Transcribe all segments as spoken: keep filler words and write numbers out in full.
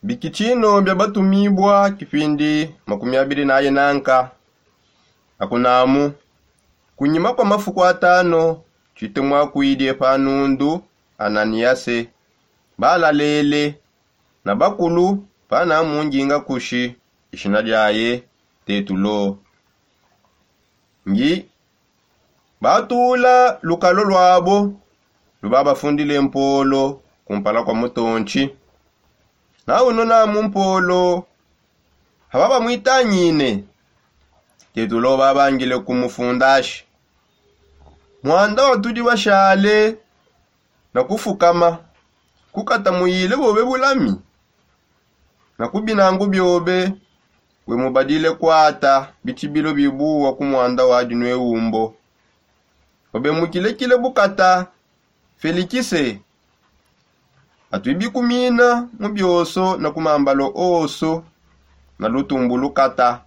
Bikitshino bia batumibua kipindi makumi abiri naye nanka. Akunamu, kunyima kua mafuku atano, tshitemwakuidi pa nundu ananiyase, balalele na bakulu pana munginga kushi, dishina diaye tetulo. Ngi batula lukalo luabo, lubabafundile mpolo kumpala kua mutontshi. Na uno namu mpolo, hababamwitangine, tetulo babangile kumufundashi. Mwanda watudi bashale na kufukama, kukata muyile bobe bulami na kubinangu biobe, wemubadile kwata bitshibilo bibuwa ku mwanda wa dinue umbo. Obe mukilekile bukata, felikise, atuibikumina mu bioso na ku mambalo oso na lutumbu lukata.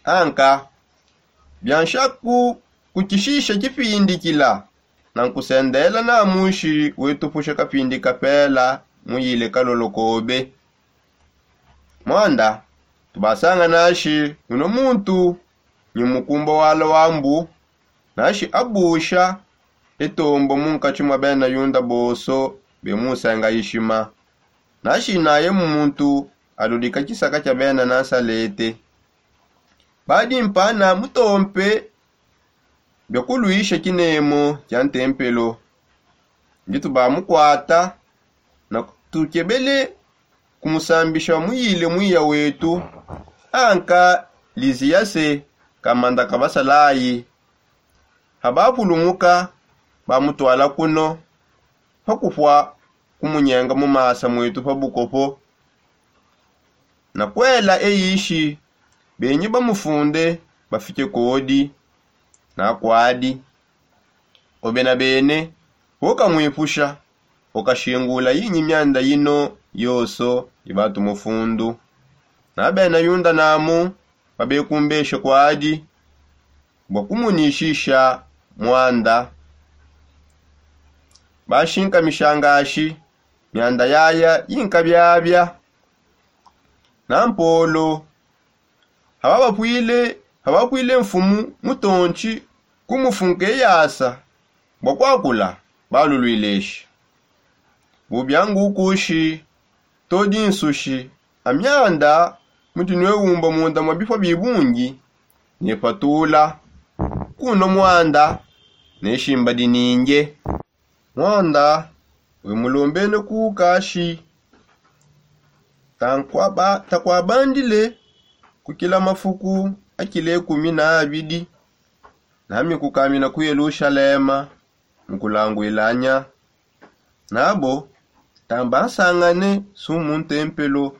Anka bianshaku kukishisha kipindikila na nkusendela na mushi wetupusha kapindi kapela muyile kalolokobe. Mwanda tubasanga nashi uno muntu nyi mukumba wala wambu, nashi abusha etombo munkatshi mwa bena yunda boso bemusenga ishima. Nashi naye muntu aludika kisaka kia bena nansalete. Badi mpana mutompe bia kuluisha kinemo kia ntempelo. Nditu bamukwata na tukebele kumusambisha muyile mwiya wetu. Anka liziyase kamanda kabasalayi. Habapulumuka, bamutwala kuno pakupua kumunyenga mu masa mwetu pa bukopo. Na kuela eyishi benyi bamufunde bafike kodi na kwadi. Obe na bene, ukamwipusha, ukashingula yinyi mianda yino yoso ibatu mufundu. Na bena yunda namu babekumbeshe kwadi bua kumunishisha mwanda. Bashinkamishanga ashi mianda yaya yinkabiabia. Na mpolo hababapwile habapwile mfumu mutontshi kumufunka eyasa bua kuakula balulwileshi. Bubia ngukushi todi nsushi amianda mudi nuewumba munda mua bipua bibungi. Nepatula kuno mwanda neshimba dininge. Mwanda wemulombene kukashi takwabandile kukila mafuku akile kumi na abidi. Nami kukamina ku yelushalema mukulangwilanya nabo tamba nsangane su mu ntempelo.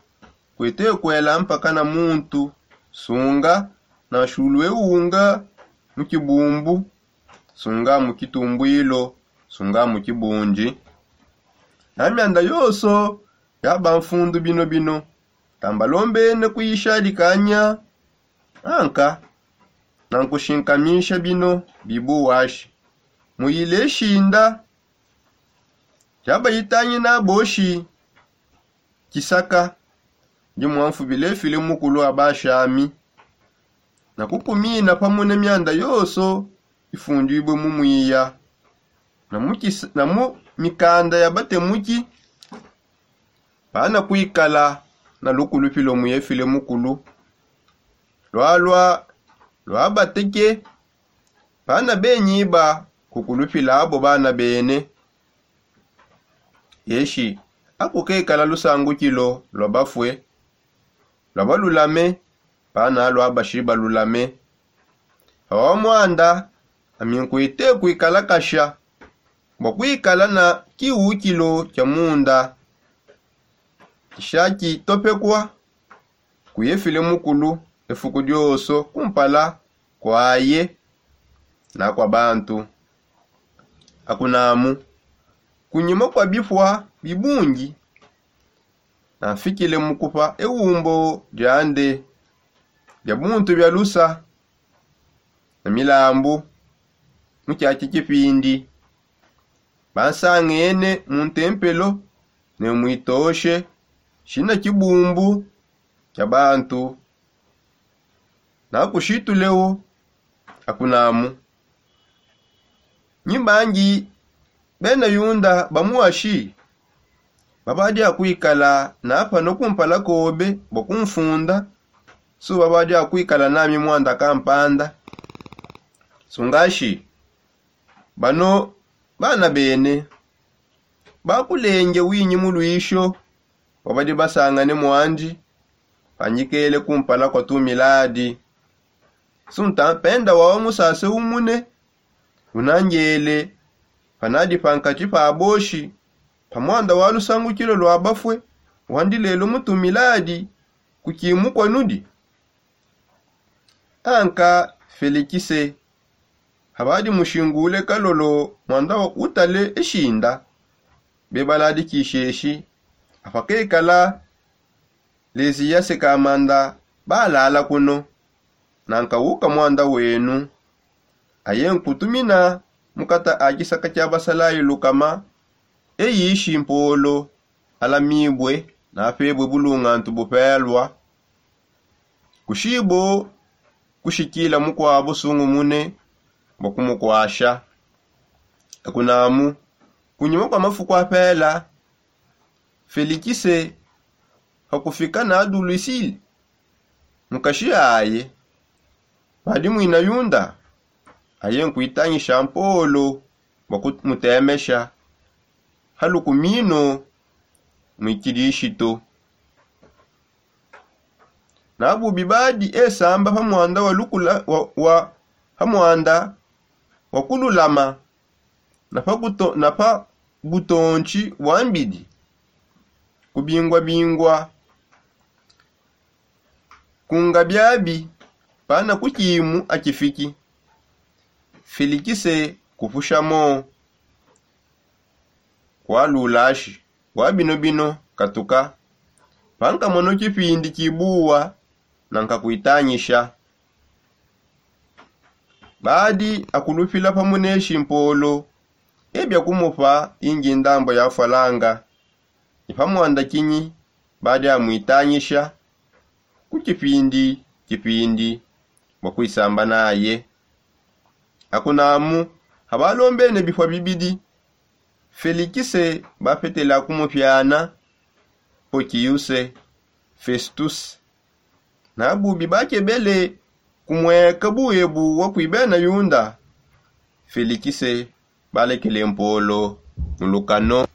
Kuete kuela mpaka na muntu sunga na shulu ewunga mu kibumbu, sunga mu kitumbwilo, sunga mu kibundi. Na mianda yoso yaba mfundu bino bino tambalombene kuyishadikanya. Anka nankushinkamisha bino bibuwashi muyile shinda. Tshiabayitangina boshi tshisaka ndi muamfubile file mukulu wa bashami na kukumina pamue ne mianda yonso ifunduibue mu muiya na mu mikanda ya batemuki. Bana kuikala na lukulupilo mu efile mukulu lwalua lwabateke. Bana benyi ba kukulupila abo bana bene. Eshi akukekala lusangukilo lwa bafue lwa balulame. Bana lwa bashi balulame. Awa mwanda ami nkuite kuikala kasha bua kuikala na kiwukilo kia munda kisha kitopekua. Kuyefile mukulu efuku dioso kumpala kuaye na kua bantu. Akunamu kunyima kua bipua bibungi nanfikile mu kupa ewumbo diande dia buntu bia lusa na milambu. Mu kiaki kipindi bansangene mu ntempelo ne muitoshe shina kibumbu kia bantu. Nakushitulewo akunamu, nyimbangi bena yunda bamuwashi babadi akuikala napano kumpala kobe bua kumfunda. Su babadi akuikala nami muanda kampanda. Sungashi bano bana bene bakulenge winyi muluisho wabadi basangane muandi panyikele kumpala kua tumiladi. Sunta penda wawa musase umune unangele panadi pankati pa boshi pa muanda wa lusangukilo lua bafue wandi lelo mutumiladi kukimukua nudi. Anka felikise habadi mushingule kalolo muanda utale eshinda bebaladi kisheshi apakekala leziyase kamanda balala kuno. Nanka uka muanda wenu aye nkutumina mukata a kisaka kia basalayi lukama eyishi mpolo alamibue napebue bulungantu bupelua kushibo kushikila mukuabu sungumune bua kumukuasha. Akunamu kunyima kua mafuku apela felikise pakufika na dulusile mukashi aye padi muina yunda aye nkuitangisha mpolo bua kumutemesha halukumino muikidishito. Nabubi badi esamba pa muanda wa lukula wa, wa pa muanda wa kululama na pa buto- na pa butontshi bua mbidi kubingua bingua kunga biabi pana kukimu akifiki. Felikise kupushamo kualulashi bua bino bino katuka pankamono kipindi kibuwa nankakuitangisha. Badi akulupila pa muneshi mpolo ebia kumupa ingi ndambo ya falanga ni pa muanda kinyi badi amuitangisha ku kipindi kipindi bua kuisamba naye. Akunamu abalombene bipua bibidi felikise bapetela kumupiana pokiyuse festuse. Nabubi bakebele kumueka buebu wa kui bena yunda felikise balekele mpolo mu lukano.